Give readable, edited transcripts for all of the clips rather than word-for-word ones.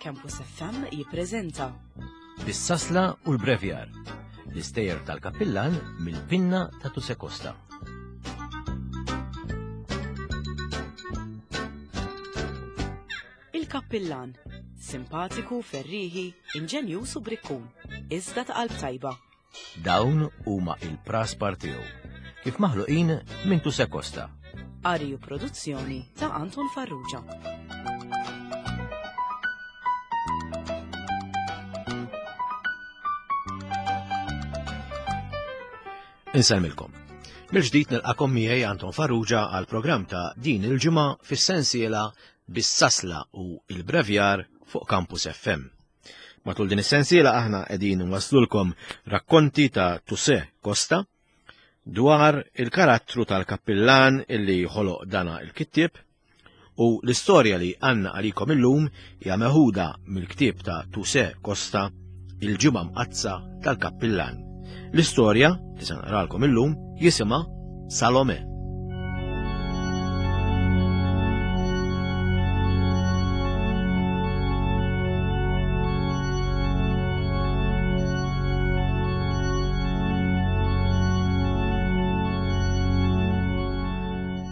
Campus FM jippreżenta Bis-sasla u l-brevjar, l-istejjer tal-kappillan mill-pinna ta' Tuse Costa. Il-Kappillan, simpatiku, ferrieħi, inġenjuż u brikkun, iżda ta' qalb tajba. Dawn huma il-praspar tiegħu, kif maħluqin minn Tuse Costa. Qari u produzzjoni ta' Anton Farrugia. Insellmilkom. Mill-ġdid nilqakom miegħi Anton Farrugia għal programm ta' din il-ġimgħa fis-sensiela bis-sasla u il-brevjar fuq Campus FM. Matul din is-sensiela aħna qegħdin nwaslulkom rakkonti ta' Tuse Costa dwar il-karattru tal-kappillan illi ħoloq dana il-kittieb u l-istorja li għanna għalikom illum hija meħuda mill-ktieb ta' Tuse Costa Il-ġimgħa mqaddsa tal-kappillan. L-istorja li se naqralkom illum jisimha Salome.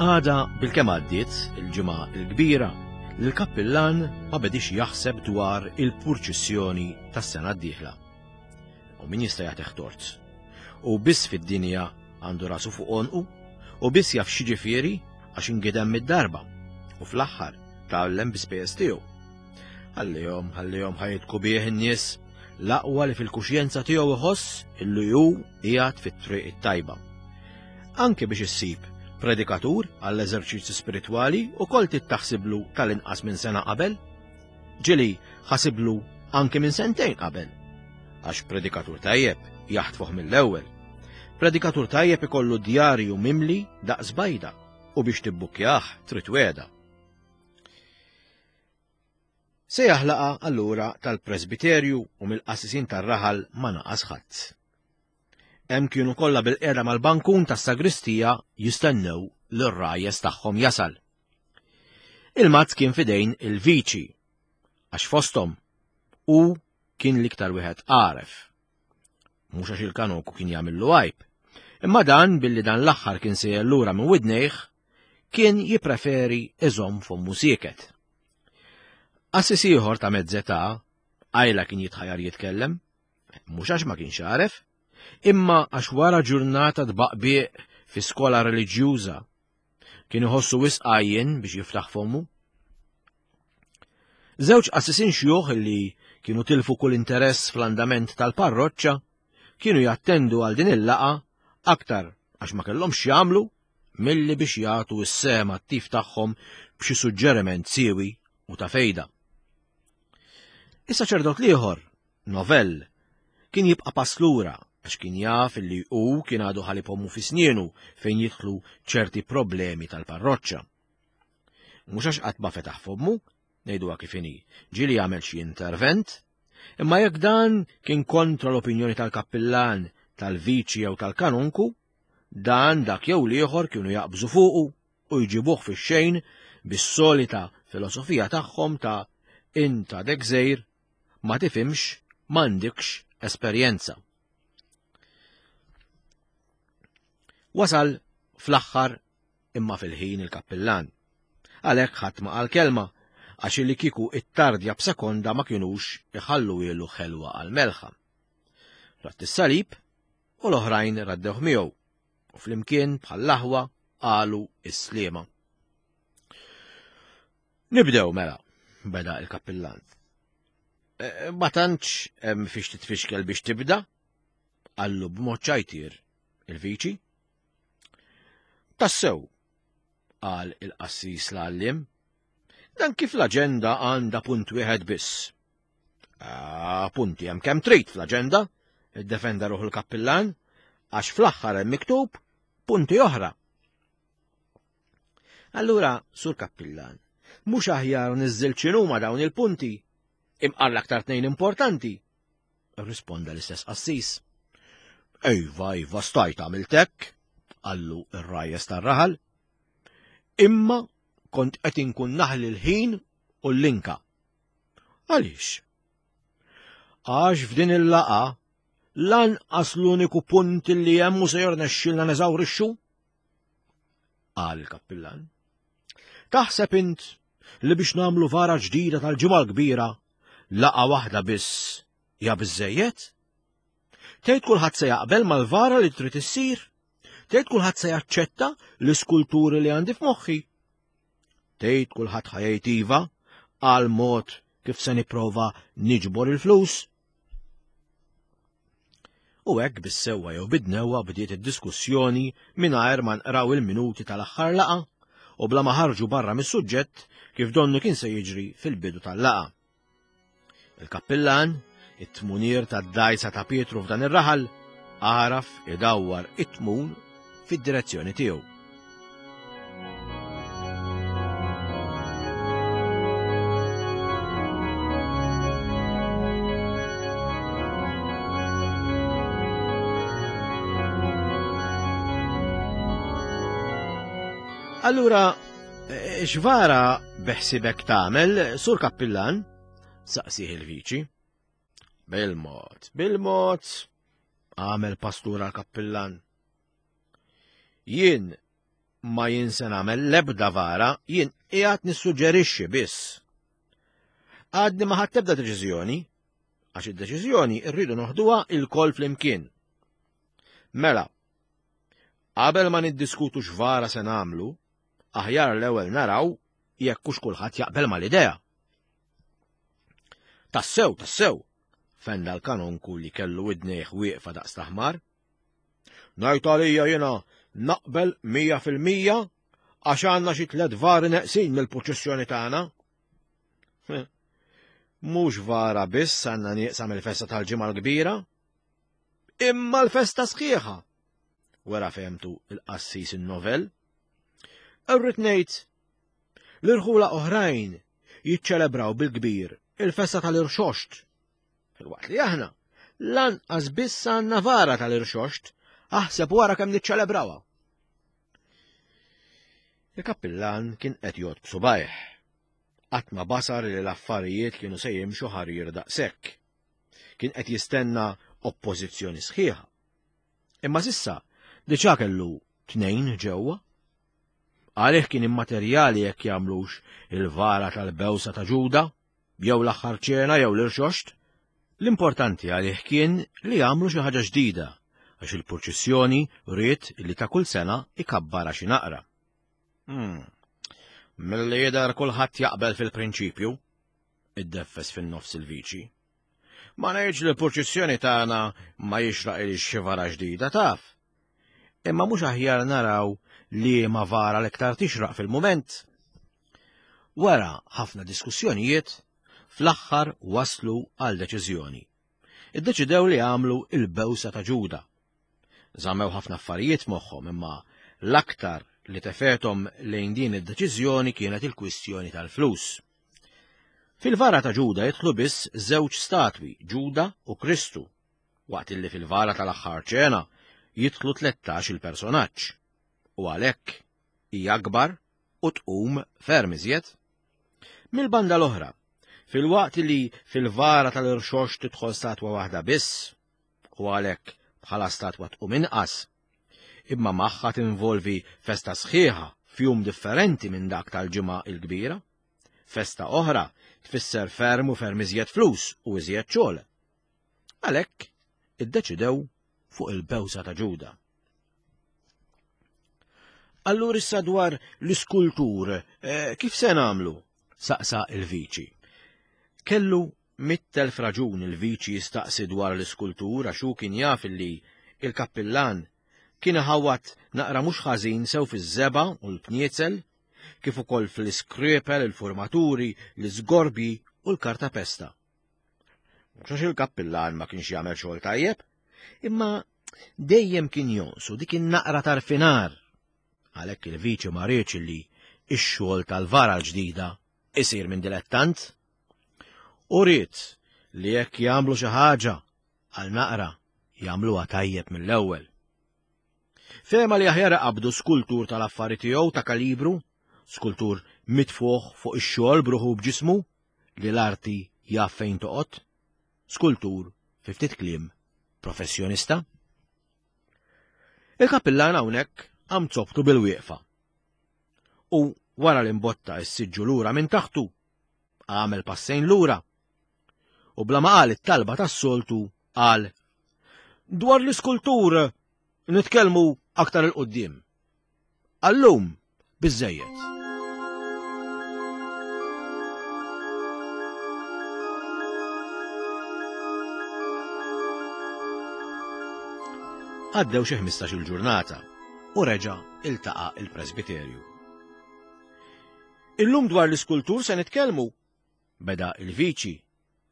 Għada bil-kemm għaddiet il-ġimgħa l-kbira, l-kappillan ma bedix jaħseb dwar il-purċissjoni tas-sena d-dieħla. U min jista' jagħtih tort? U biss fid-dinja għandu rasu fuq għonqu u biss jaf x'jiġifieri għax ingidem mid-darba u fl-aħħar tgħallem bi spejjeż tiegħu. Ħallihom, ħallihom ħajitku bih in-nies l-aqwa li fil-kuxjenza tiegħu iħoss illi hu qiegħed fit-triq it-tajba. Anke biex issib predikatur għall-eżerċizzju spiritwali ukoll trid taħsiblu tal-inqas minn sena qabel. Ġieli ħasiblu anke minn sentejn qabel. Għax predikatur tajjeb jaħtfuh mill-ewwel. Predikatur tajjeb ikollu djarju mimli daqs bajda u biex tibbukkjah trid wegħda. Sejjaħ laqgħa allura tal-presbiterju u mill-qassisin tar-raħal ma naqas ħadd. Hemm kienu kollha bil-qiegħda mal-bankun tas-sagristija jistennew lir-rajjes tagħhom jasal. Il-mazz kien fidejn il-viċi, għax fosthom hu kien l-iktar wieħed għaref. Mhux għax il-kanoku kien jagħmillu għajb, imma dan billi dan l-aħħar kien sejjer lura minn widnejh, kien jippreferi iżomm fommu sieket. Qassis ieħor ta' mezz'età, qajla kien jitħajar jitkellem, mhux għax ma kienx għaref, imma għax wara ġurnata tbaqbiq fi skola reliġjuża Kien iħossu wisq għajjien biex jiftaħ fommu. Żewġ qassisin xjuħ li kienu tilfu kull interess fl-andament tal-parroċċa kienu jattendu għal din il-laqa aktar għax ma kellhomx jagħmlu milli biex jagħtu s-sehem attiv tagħhom b'xi suġġeriment siewi u ta' fejda. Is-saċerdot l-ieħor Novell, kien jibqa' pass lura għax kien jaf li hu kien għadu ħalib ommu fi snienu fejn jidħlu ċerti problemi tal-parroċċa. Mhux għax qatt ma fetaħ fommu, ngħiduha kif inhi, ġieli għamel xi intervent, imma jekk dan kien kontra l-opinjoni tal-kappillan, tal-viċi jew tal-kanonku, dan dak jew l-ieħor kienu jaqbżu fuqu u jġibuh fix-xejn bis-solita filosofija tagħhom ta' int għadek żgħir ma tifhimx, m'għandikx esperjenza. Wasal fl-aħħar imma fil-ħin il-kappillan. Għalhekk ħadd ma qal kelma għax li kieku it-tardja b'sekonda ma kinux iħallu ilu ħelwa għal melħa. Ratt is-salib u l-oħrajn raddewh miegħu u flimkien bħall-aħwa qalu is-sliema. Nibdew mela, beda il-kappillan. E, e, ma tantx hemm fiex titfixkel biex tibda, qallu b'mod ċajtir il-viċi. Tassew, qal il-qassis l-għallim, dan kif l-aġenda għandha punt wieħed biss. Ah, punti hemm kemm trid fl-aġenda, iddefenda ruħu l-kappillan, għax fl-aħħar hemm miktub punti oħra. Allura, sur kappillan, mhux aħjar niżżil x'inhuma dawn il-punti, imqar l-aktar tnejn importanti? Risponda l-istess qassis. Ejva, ejva, stajt għamilt hekk, qallu r-rajjes tar-raħal. Imma kont qed inkun naħli l-ħin u l-linka. Għaliex? Għax f'din il-laqa lanqas l-uniku punt li hemm u se jirnexxilna neżawrixxu? Qal il-kappillan. Taħseb int li biex nagħmlu vara ġdida tal-ġimgħa l-kbira laqa waħda biss hija biżejjed? Tgħid kulħadd se jaqbel mal-vara li trid issir? Tgħid kulħadd se jaċċetta l-iskulturi li għandi f'moħħi? Tgħid kulħadd ħajjt iva għal mod kif se nipprova niġbor il-flus? U hekk bis-sewwa jew bid-dnewwa bdiet id-diskussjoni mingħajr ma nqraw il-minuti tal-aħħar laqgħa u bla ma ħarġu barra mis-suġġett kif donnu kien se jiġri fil-bidu tal-laqgħa. Il-kappillan, it-tmunier tad-dgħajsa ta' Pietru f'dan ir-raħal, għaraf idawwar it-tmun fid-direzzjoni tiegħu. Allura, eh, x'vara beħsibek tagħmel, sur kappillan? Saqsih il-viċi. Bil-mod, bil-mod, għamel pastura l-kappillan. Jien ma jien se nagħmel l-ebda vara, jien qiegħed nissuġġerixxi biss. Għadni ma ħadd ebda deċiżjoni, għax id-deċiżjoni rridu noħduha il-koll flimkien. Mela, qabel ma niddiskutu x'vara se nagħmlu, aħjar l-ewwel naraw jekk hux kulħadd jaqbel mal-idea. Tassew, tassew, fenda l-kanonku li kellu widnejh wieqfa daqs taħmar. Ngħid għalija jiena naqbel 100% għax għandna xi tliet vari neqsin mill-purċissjoni tagħna. Mhux vara biss għandna nieqsa mill-festa tal-ġimgħa l-kbira, imma l-festa sħiħa. Wera fehmtu il-qassis in-novell. Irrid ngħid l-irħula oħrajn jiċċelebraw bil-kbir il-festa tal-irxoxt. Filwaqt li aħna lanqas biss għandna vara tal-irxoxt, aħseb wara kemm niċċelebrawha. Il-kappillan kien qed jgħod b'subajh. Qatt ma basar li l-affarijiet kienu se jimxu ħarir daqshekk. Kien qed jistenna oppożizzjoni sħiħa. Imma sissa diġà kellu tnejn ġewwa. Għalih kien immaterjali jekk jagħmlux il-vara tal-bewsa ta' Ġuda, jew l-aħħar ċena jew l-irxoxt. L-importanti għalih kien li jagħmlu xi ħaġa ġdida għax il-purċissjoni ried li ta' kull sena ikabbarha xi naqra. Hmm. Milli jidher kulħadd jaqbel fil-prinċipju, iddeffes fin-nofs il-viċi. Ma ngħidx li l-purċissjoni tagħna ma jixraqilix xi vara ġdida taf. Imma mhux aħjar naraw liema vara l-iktar tixraq fil-mument. Wara ħafna diskussjonijiet, fl-aħħar waslu għal deċiżjoni. Iddeċidew li jagħmlu il-bewsa ta' Ġuda. Żammew ħafna affarijiet f'moħħhom imma l-aktar li tefethom lejn din id-deċiżjoni kienet il-kwistjoni tal-flus. Fil-vara ta' Ġuda jidħlu biss żewġ statwi, Ġuda u Kristu, waqt illi fil-vara tal-aħħar ċena jidħlu 13 il-personaġġ. U għalhekk hija akbar u tqum ferm iżjed. Mill-banda l-oħra, filwaqt li fil-vara tal-irxox tidħol statwa waħda biss, u għalhekk bħala statwa tqum inqas, imma magħha tinvolvi festa sħiħa f'jum differenti minn dak tal-ġimgħa il-kbira. Festa oħra tfisser ferm u ferm iżjed flus u iżjed xogħol. Għalhekk iddeċidew fuq il-bewsa ta' Ġuda. Allura issa dwar l-iskultur, eh, kif se nagħmlu? saqsa il-viċi. Kellu mittelf raġun il-viċi jistaqsi dwar l-iskultur għax hu kien jaf li il-kappillan kien iħawat naqra mhux ħażin sew fiż-żeba u l-pniezel, kif ukoll fl-iskrepel, il-formaturi, l-iżgorbji u l-kartapesta. Mhux għax il-kappillan ma kienx jagħmel xogħol tajjeb, imma dejjem kien jonqsu dik in-naqra tarfinar. Għalhekk il-viċi ma riedx li x-xogħol tal-vara l-ġdida isir minn dilettant. U ried li jekk jagħmlu xi ħaġa għal naqra jagħmluha tajjeb mill-ewwel. Fehma li aħjar iqabbdu skultur tal-affari tiegħu ta' kalibru, skultur mitfuħ fuq ix-xogħol b'ruħu u b'ġismu, li l-arti jaf fejn toqgħod, skultur fi ftit kliem professjonista. Il-kappillan hawnhekk qam zobtu bil-wieqfa. U wara li mbotta s-siġġu lura minn taħtu, għamel passejn lura. U bla ma qal it-talba tas-soltu qal dwar l-iskultur nitkellmu aktar il-qudiem. Għallum biżżejjed. Għaddew xi 15-il ġurnata u reġa' iltaqa' il-presbiterju. Illum dwar l-iskultur se nitkellmu, beda il-viċi,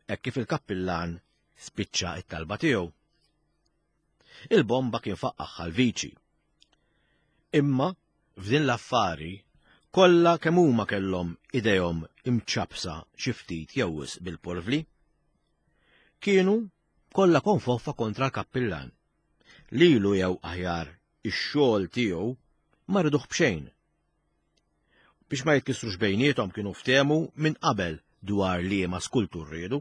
hekk kif il-kappillan spiċċa it-talba tiegħu. Il-bomba kien faqqagħha l-viċi. Imma f'din l-affari kollha kemm huma kellhom idejhom imċappsa xi ftit jew wisq bil-porvli. Kienu kollha konfoffa kontra l-kappillan. Lilu jew aħjar ix-xogħol tiegħu ma riduh b'xejn. Biex ma jitkissrux bejniethom kienu ftehmu minn qabel dwar liema skultur riedu.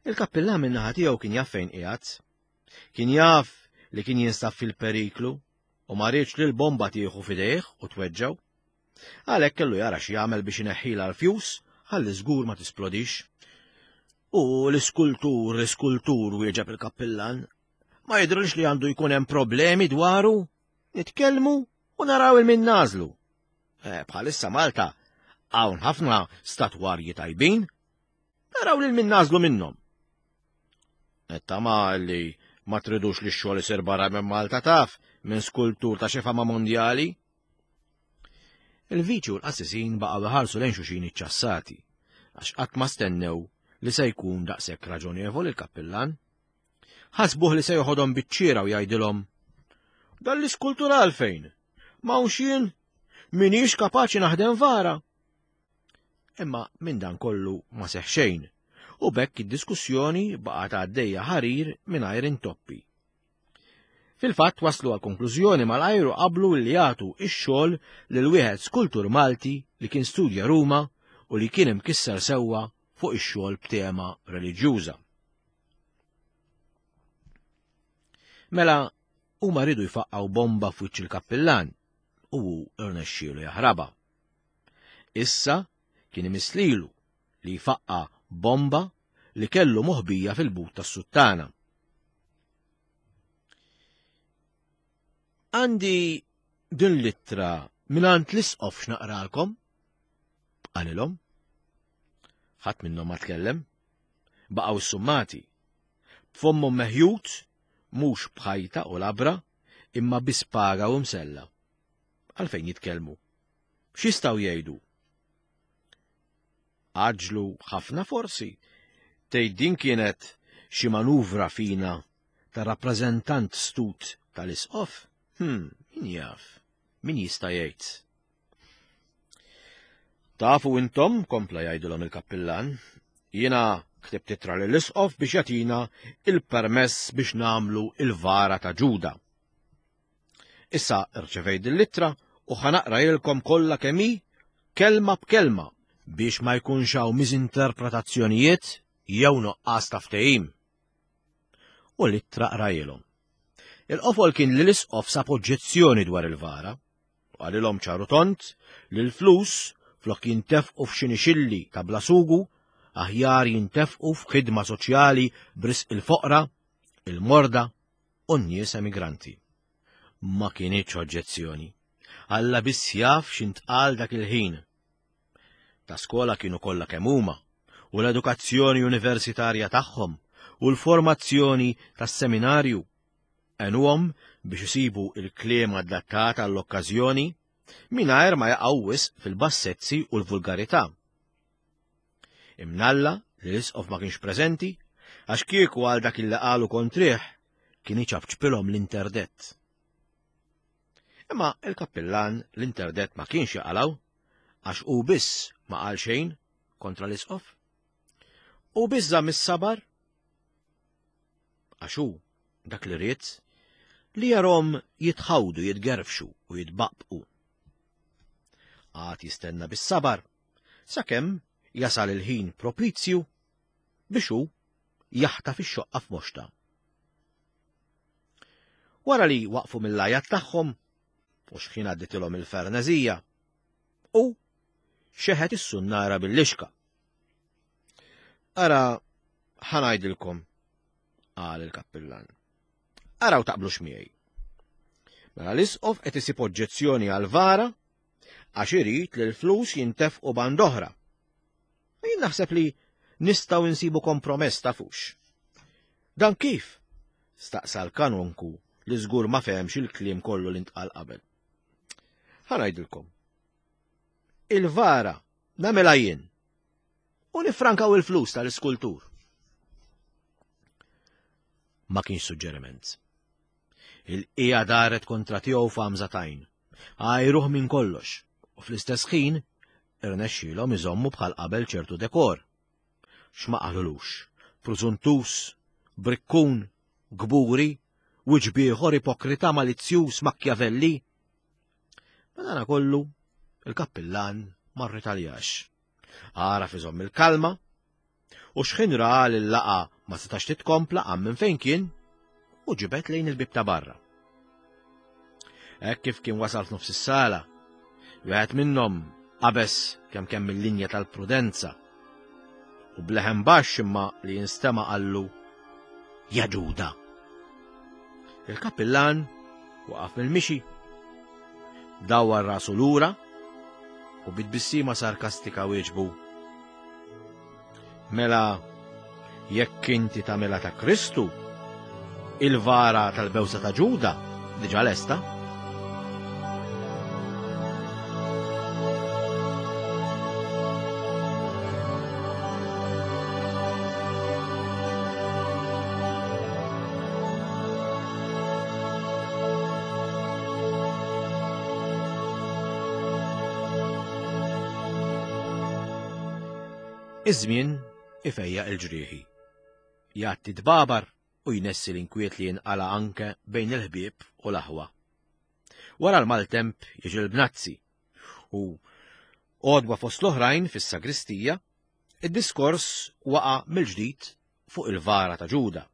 Il-kappillan min-naħa tiegħu kien jaf fejn qiegħed. Kien jaf li kien jinsab fil-periklu u ma riedx li l-bomba tieħu f'idejh u tweġġgħu. Għalhekk kellu jara x'jagħmel biex ineħħilha l-fjus ħalli żgur ma tisplodix. U l-iskultur, l-iskultur wieġeb il-kappillan, ma jidhirx li għandu jkun hemm problemi dwaru. Nitkellmu u naraw il min nażlu. Eh, bħalissa Malta hawn ħafna statwarji tajbin, naraw lil min nażlu minnhom. Tama li ma tridux li x-xogħol isir barra minn Malta taf minn skultur ta' xi fama mondjali. Il-viċi u l-qassisin baqgħu iħarsu lejn xulxin iċċassati, għax qatt ma stennew li se jkun daqshekk raġonevoli l-kappillan. Ħasbuh li se joħodhom biċ-ċiera u jgħidilhom, Dan l-iskultur għalfejn? M'hawnx jien? Minix kapaċi naħdem vara. Imma minn dan kollu ma seħ xejn, u b'hekk id-diskussjoni baqgħet għaddejja ħarir mingħajr intoppi. Fil-fatt waslu għal konklużjoni malajr u qablu li jagħtu ix-xogħol lil wieħed skultur Malti li kien studja Ruma u li kien imkisser sewwa fuq ix-xogħol b'tema reliġjuża. Mela huma riedu jfaqqgħu bomba f'wiċċ il-kappillan u hu rnexxielu jaħrabha. Issa kien imiss lilu li jfaqqa' bomba li kellu moħbija fil-but tas-suttana. Għandi din l-ittra mingħand l-isqof x'naqralkom? Qalilhom. Ħadd minnhom ma tkellem. Baqgħu ssummati. B'fommhom meħjut, mhux b'ħajta u labra, imma bi spaga u msella. Għalfejn jitkellmu? X'jistgħu jgħidu? Għaġġlu ħafna forsi. Tgħid din kienet xi manuvra fina ta' rappreżentant stut tal-isqof? Hmm, min jaf? Min jista' jgħid? Tafu intom, kompla jgħidilhom il-kappillan, jiena ktibt ittra lill-isqof biex jagħtina il-permess biex nagħmlu il-vara ta' Ġuda. Issa rċevejt din l-ittra u ħa naqrajilkom kollha kemm hi kelma b'kelma biex ma jkunx hawn miżinterpretazzjonijiet jew nuqqas ta' ftehim. U l-ittra qrajilhom. Il-qofol kien li l-isqof sab oġġezzjoni dwar il-vara. U qalilhom ċar u tond li l-flus flok jintefqu f'xi nixilli ta' bla sugu, aħjar jintefqu f'ħidma soċjali b'risq il-foqra, il-morda u n-nies emigranti. Ma kinitx oġġezzjoni. Alla biss jaf x'intqal dak il-ħin. Ta' skola kienu kollha kemm huma, u l-edukazzjoni universitarja tagħhom u l-formazzjoni tas-seminarju għenuhom biex isibu il-kliem adattat għall-okkażjoni mingħajr ma jaqgħu wisq fil-bassezzi u l-vulgarità. Imnalla li l-isqof ma kienx preżenti għax kieku għal dak illi qalu kontrih kien iċapċpilhom l-interdett. Imma il-kappillan l-interdett ma kienx jaqalgħu għax hu biss ma qal xejn kontra l-isqof. U biss żamm is-sabar għax hu dak li ried li jarhom jitħawdu, jitgerfxu u jitbaqbqu. Għad jistenna bis-sabar sakemm jasal il-ħin propizju biex hu jaħtaf ix-xoqqa f'moxta. Wara li waqfu mill-għajat tagħhom u xħin għadditilhom il-ferneżija, u xeħet is-sunnara bil-lixka. Ara ħanajdilkom, qal il-kappillan. Araw taqblux miegħi. Mela l-isqof qed isib oġġezzjoni għal vara għax irid li l-flus jintefqu band oħra. Jien naħseb li nistgħu nsibu kompromess tafux. Dan kif? Staqsa l-kanonku li żgur ma fehemx il-kliem kollu li ntqal qabel. Ħa ngħidilkom. Il-vara nagħmilha jien u nifrankaw il-flus tal-iskultur. Ma kienx suġġeriment. Il-qija daret kontra tiegħu f'għamża tajn. Għajruh minn kollox u fl-istess ħin irnexxielhom iżommu bħal qabel ċertu dekor. X'ma qalulux, prużuntus, brikkun, gburi, wiċċ bieħor ipokrita malizzjuż Machiavelli. Madana kollu, il-kappillan ma rritaljax. Għaraf iżomm il-kalma u xħin ra li l-laqa ma setax titkompla qam minn fejn kien u ġibed lejn il-bib ta' barra. Hekk kif kien wasal f'nofs is-sala, wieħed minnhom qabeż kemm kemm il-linja tal-prudenza u bleħen baxx imma li jinstema' qallu Ja Ġuda. Il-kappillan waqaf mill-mixi, dawwar rasu lura u bit-tbissima sarkastika wieġbu. Mela, jekk inti tagħmilha ta' Kristu, il-vara tal-bewsa ta' Ġuda diġà lesta. Iż-żmien ifejjaq il-ġrieħi. Jgħatti tbabar u jnessi l-inkwiet li jinqala anke bejn il-ħbieb u l-aħwa. Wara l-maltemp jiġi l-bnazzi u għodwa fost l-oħrajn fis-sagristija, id-diskors waqa' mill-ġdid fuq il-vara ta' Ġuda.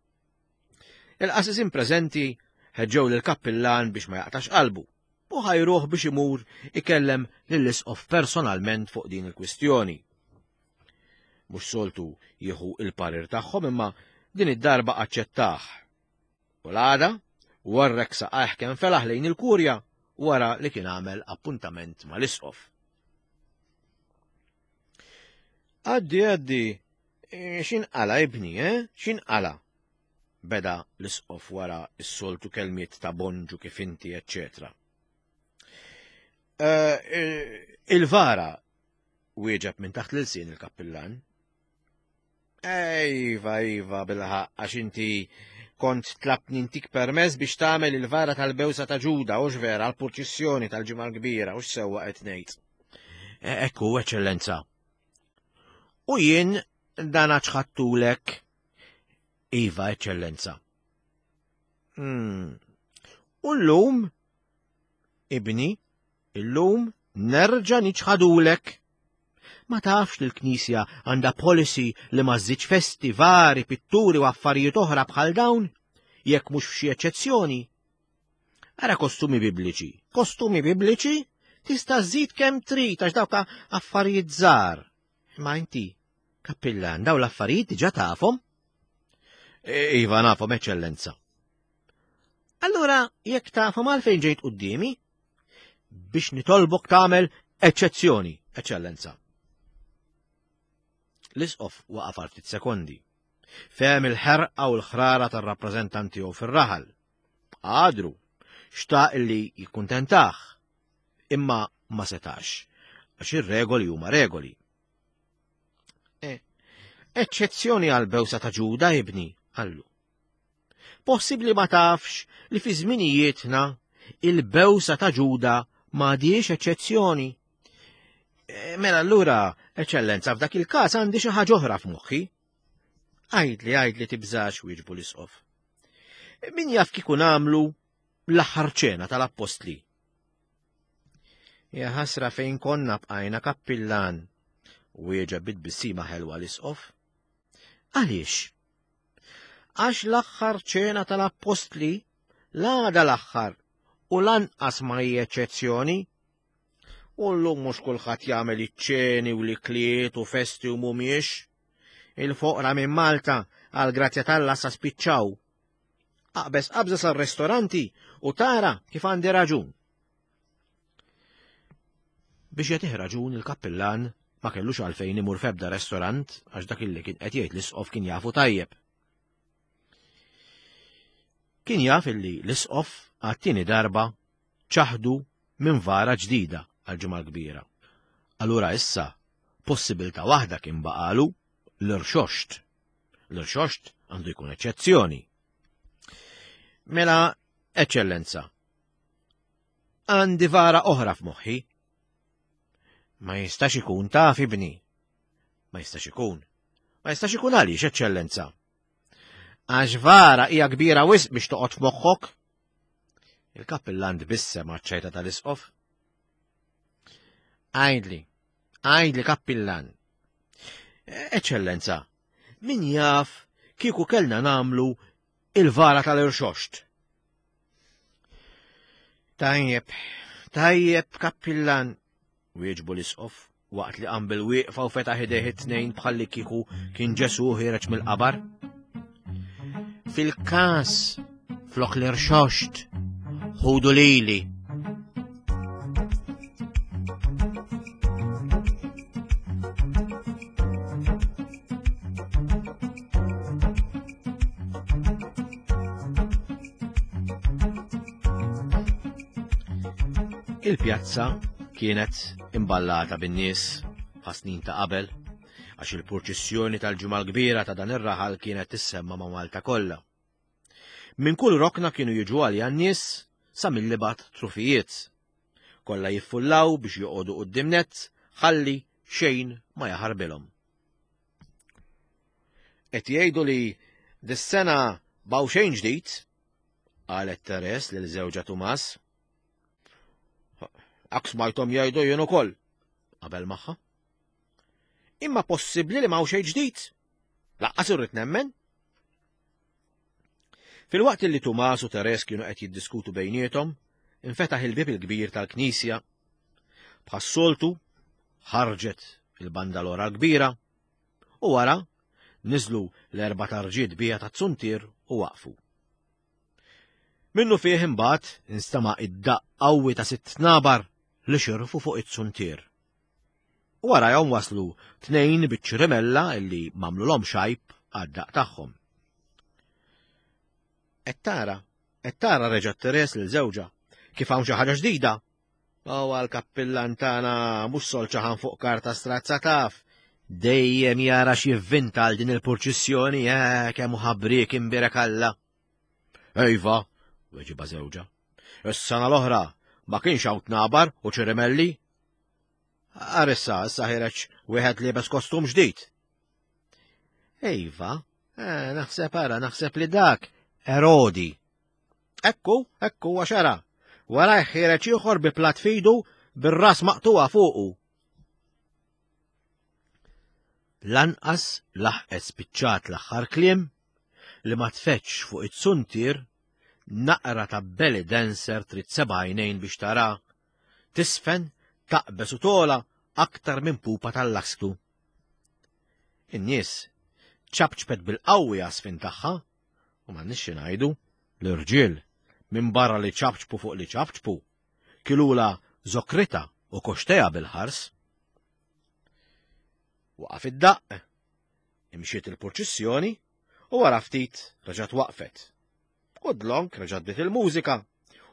Il-qasisin preżenti ħeġġew lill-kappillan biex ma jaqtax qalbu u ħajruh biex imur ikellem lill-isqof personalment fuq din il-kwistjoni. Mhux soltu jieħu il-parir tagħhom imma din id-darba aċċettah. U l-għada warrek saqajh kemm felaħ lejn il-kurja wara li kien għamel appuntament mal-isqof. Għaddi, għaddi, e, x'inqala ibni, eh? X'inqala? Beda l-isqof wara s-soltu kelmiet ta' bonġu kif inti, eccetera. E, e, il-vara wieġeb minn taħt l-ilsien il-kappillan. Iva, iva, bilħaq, għax inti kont tlabtni ntik permess biex tagħmel il-vara tal-bewsa ta' Ġuda, hux vera, għall-purċissjoni tal-Ġimgħa l-Kbira, hux sewwa qed ngħid. E, ekku, eċċellenza. U jien dan ċħattulek. Iva, eċċellenza. Hmm. U llum, ibni, illum nerġa' niċħadulek. Ma tafx li l-Knisja għandha policy li ma żżidx festi, vari, pitturi u affarijiet oħra bħal dawn, jekk mhux f'xi eċċezzjoni. Ara kostumi bibliċi. Kostumi bibliċi tista' żżid kemm trid għax dawk affarijiet żgħar. Imma inti, kappillan, dawn l-affarijiet diġà tafhom? E, iva nafhom, eċċellenza. Allura, jekk tafhom għalfejn ġejt quddiemi? Biex nitolbok tagħmel eċċezzjoni, eċċellenza. L-isqof waqaf għal ftit sekondi. Fehem il-ħerqa u l-ħrara tar-rappreżentant tiegħu fir-raħal. Għadru, xtaq li jikkuntentah, imma ma setax, għax ir-regoli huma regoli. E, eċċezzjoni għal bewsa ta' Ġuda ibni, qallu. Possibbli ma tafx li fi żminijietna il-bewsa ta' Ġuda m'għadhiex eċċezzjoni. E, mela allura, eċċellenza, f'dak il-każ għandi xi ħaġa oħra f'moħħi. Għidli, għidli tibżax wieġbu l-isqof. Min jaf kieku nagħmlu l-aħħar ċena tal-appostli. Ja ħasra fejn konna bqajna kappillan. Wieġeb bi tbissima ħelwa l-isqof. Għaliex? Għax l-aħħar ċena tal-appostli l-għada l-aħħar u lanqas ma hi eċċezzjoni. U llum mhux kulħadd jagħmel iċ-ċeni u l-ikliet u festi u mhumiex. Il-foqra minn Malta għal grazzja t'Alla sa spiċċaw. Aqbeż qabża sar-restoranti u tara kif għandi raġun. Biex jagħtih raġun il-kappillan ma kellux għalfejn imur f'ebda restorant għax dak illi kien qed jgħid l-isqof kien jafu tajjeb. Kien jaf illi l-isqof għat-tieni darba ċaħdu minn vara ġdida għall-Ġimgħa l-Kbira. Allura issa possibilità waħda kien baqalu l-irxoxt. L-irxoxt għandu jkun eċċezzjoni. Mela, eċċellenza, għandi vara oħra f'moħħi. Ma jistax ikun taf ibni. Ma jistax ikun. Ma jistax ikun għaliex, eċċellenza. Għax vara hija kbira wisq biex toqgħod f'moħħok. Il-kappillan tbissem għaċ-ċajta tal-isqof. Għajdli, għajdli kappillan. Eċċellenza, min jaf kieku kellna namlu il-vara tal-irxoxt. Tajjeb, tajjeb, kappillan, wieġbu l-isqof waqt li qam bil-wieqfa u fetaħ idejh it-tnejn bħalli kieku kien Ġesu ħireġ mill-qabar. Fil-każ flok l-irxoxt, ħudu lili. Il-pjazza kienet imballata bin-nies bħas-snin ta' qabel għax il-purċissjoni tal-Ġimgħa l-Kbira ta' dan ir-raħal kienet tissemma ma' Malta kollha. Minn kull rokna kienu jiġu għaliha n-nies sa mill-ibgħad trufijiet. Kollha jiffullaw biex joqogħdu quddiem nett ħalli xejn ma jaħarbilhom. Qed jgħidu li dis-sena baw xejn ġdid, qalet Teres lil żewġha Tumas. Ak smajthom jgħidu jien ukoll, qabel magħha. Imma possibbli li m'hawn xejn ġdid. Laqqas irrid nemmen. Filwaqt li Tumas u Teres kienu qed jiddiskutu bejniethom, infetaħ il-bieb il-kbir tal-knisja. Bħas-soltu, ħarġet il-bandalora l-kbira u wara niżlu l-erba' tarġiet bija tat-zuntier u waqfu. Minnu fih imbagħad instama' id-daqq qawwi ta' sitt tnabar li xirfu fuq it-zuntier. U warajhom waslu tnejn biċ-ċrimella illi m'għamlulhom xajb għad-daqq tagħhom. Qed tara, qed tara reġa' Teres lil żewġha, kif hawn xi ħaġa ġdida. Huwa l-kappillan tagħna mhux solċaħan fuq karta strazza taf. Dejjem jara x'jivvinta għal din il-purċissjoni, eh, kemm hu ħabriek imbierek Alla. Ejva, weġiba żewġha. Is-sena l-oħra ma kienx hawn tnabar u ċirimelli. Ar issa, issa ħireġ wieħed liebes kostum ġdid. Ejva, eh, naħseb ara, naħseb li dak Erodi. Ekku, ekku, għax ara. Wara ħireġ ieħor bi plat fidu bir-ras maqtuha fuqu. Lanqas laħqet spiċċat l-aħħar kliem li ma tfeċx fuq it-suntier naqra ta' belly dancer trid seba' għajnejn biex tara, tisfen, taqbeż u tola aktar minn pupa tal-lasktu. In-nies ċapċpet bil-qawwi għasfin tagħha u m'għandniex xi ngħidu, l-irġiel minbarra li ċapċpu fuq li ċapċpu, kilula zokrita u koxteja bil-ħars. Waqaf id-daqq, imxiet il-purċissjoni u wara ftit reġgħet waqfet. U dlonk reġgħet bdiet il-mużika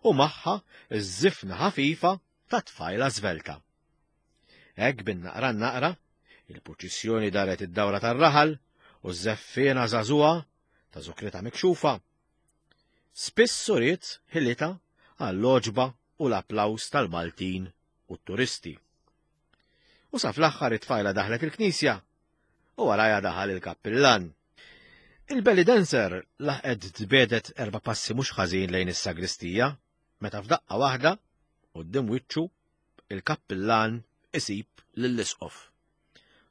u magħha ż-żifna ħafifa ta' tfajla żvelta. Hekk bin-naqra naqra, il-purċissjoni daret id-dawra tar-raħal u ż-żeffiena żagħżugħa ta' zukrita mikxufa. Spiss uriet ħilitha għall-għoġba u l-applaws tal-Maltin u t-turisti. U sa fl-aħħar it-tfajla daħlet il-knisja u warajha daħal il-kappillan. Il-belly dancer laħqet tbedet erba' passi mhux ħażin lejn is-sagristija meta f'daqqa waħda quddiem wiċċu il-kappillan isib lill-isqof.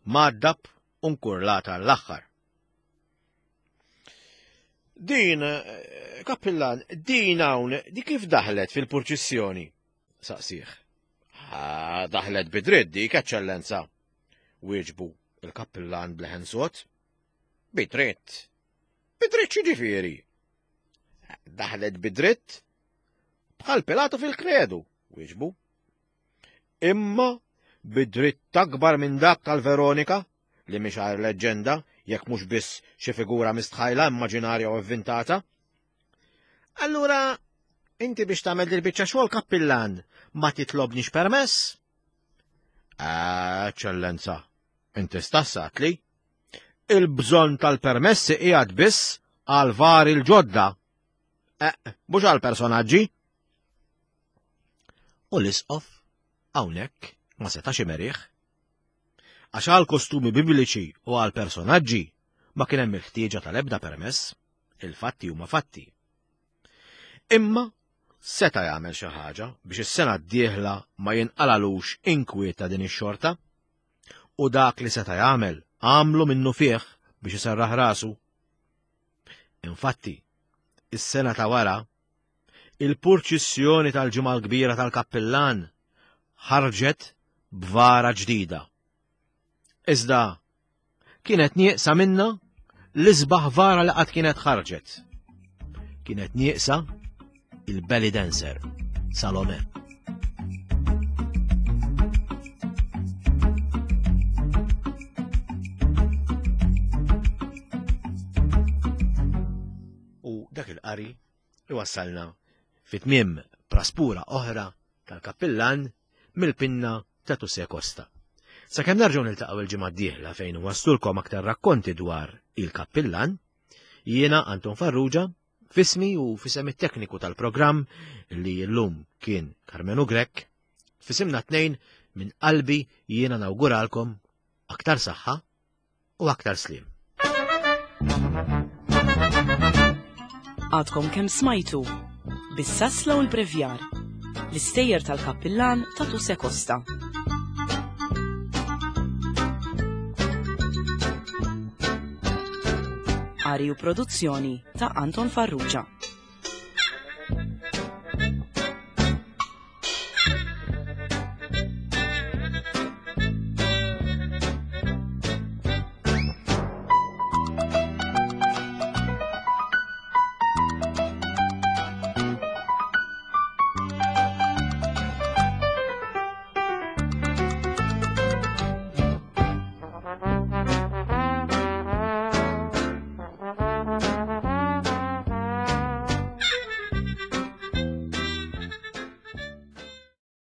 mgħaddab u nkurlat għall-aħħar. Din, eh, kappillan, din hawn, di kif daħlet fil-purċissjoni? Saqsih. Daħlet bidritt dik, eċċellenza. Wieġbu il-kappillan bleħen sod. Bidritt. Bidritt x'jiġifieri? Daħlet bidritt bħal Pilatu fil-kredu, wieġbu. Imma bidritt akbar minn dak tal-Veronika, li mhix għajr leġġenda, jekk mhux biss xi figura mistħajla, immaġinarja u avvintata. Allura, inti biex tagħmel dil-biċċa xogħol kappillan ma titlobniex permess? Eċċellenza, inti stassatli. Il-bżonn tal-permessi qiegħed biss għal vari l-ġodda. Eh, mhux għal personaġġi. U l-isqof hawnhekk ma setax imerih. Għax għal kostumi bibliċi u għal personaġġi ma kien hemm il-ħtieġa tal-ebda permess, il-fatti huma fatti. Imma seta' jagħmel xi ħaġa biex is-sena d-dieħla ma jinqalalux inkwiet ta' din ix-xorta. U dak li seta' jagħmel għamlu minnu fih biex iserraħ rasu. Infatti, is-sena ta' wara, il-purċissjoni tal-Ġimgħa l-Kbira tal-Kappillan ħarġet b'vara ġdida. Iżda kienet nieqsa minna l-isbaħ vara li qatt kienet ħarġet. Kienet nieqsa il-belly dancer, Salome. U dak il-qari iwassalna fit-tmiem praspura oħra tal-kappillan mill-pinna ta' Tuse Costa. Sakemm nerġgħu niltaqgħu il-ġimgħa d-dieħla fejn waslulkom aktar rakkonti dwar il-kappillan, jiena Anton Farrugia, fismi u fisem it-tekniku tal-programm li llum kien Karmenu Grech, fisimna tnejn minn qalbi jiena nawguralkom aktar saħħa u aktar sliem. Għadkom kemm smajtu bis-sasla u l-brevjar l-istejjer tal-kappillan ta' Tuse Costa. Qari u produzzjoni ta' Anton Farrugia.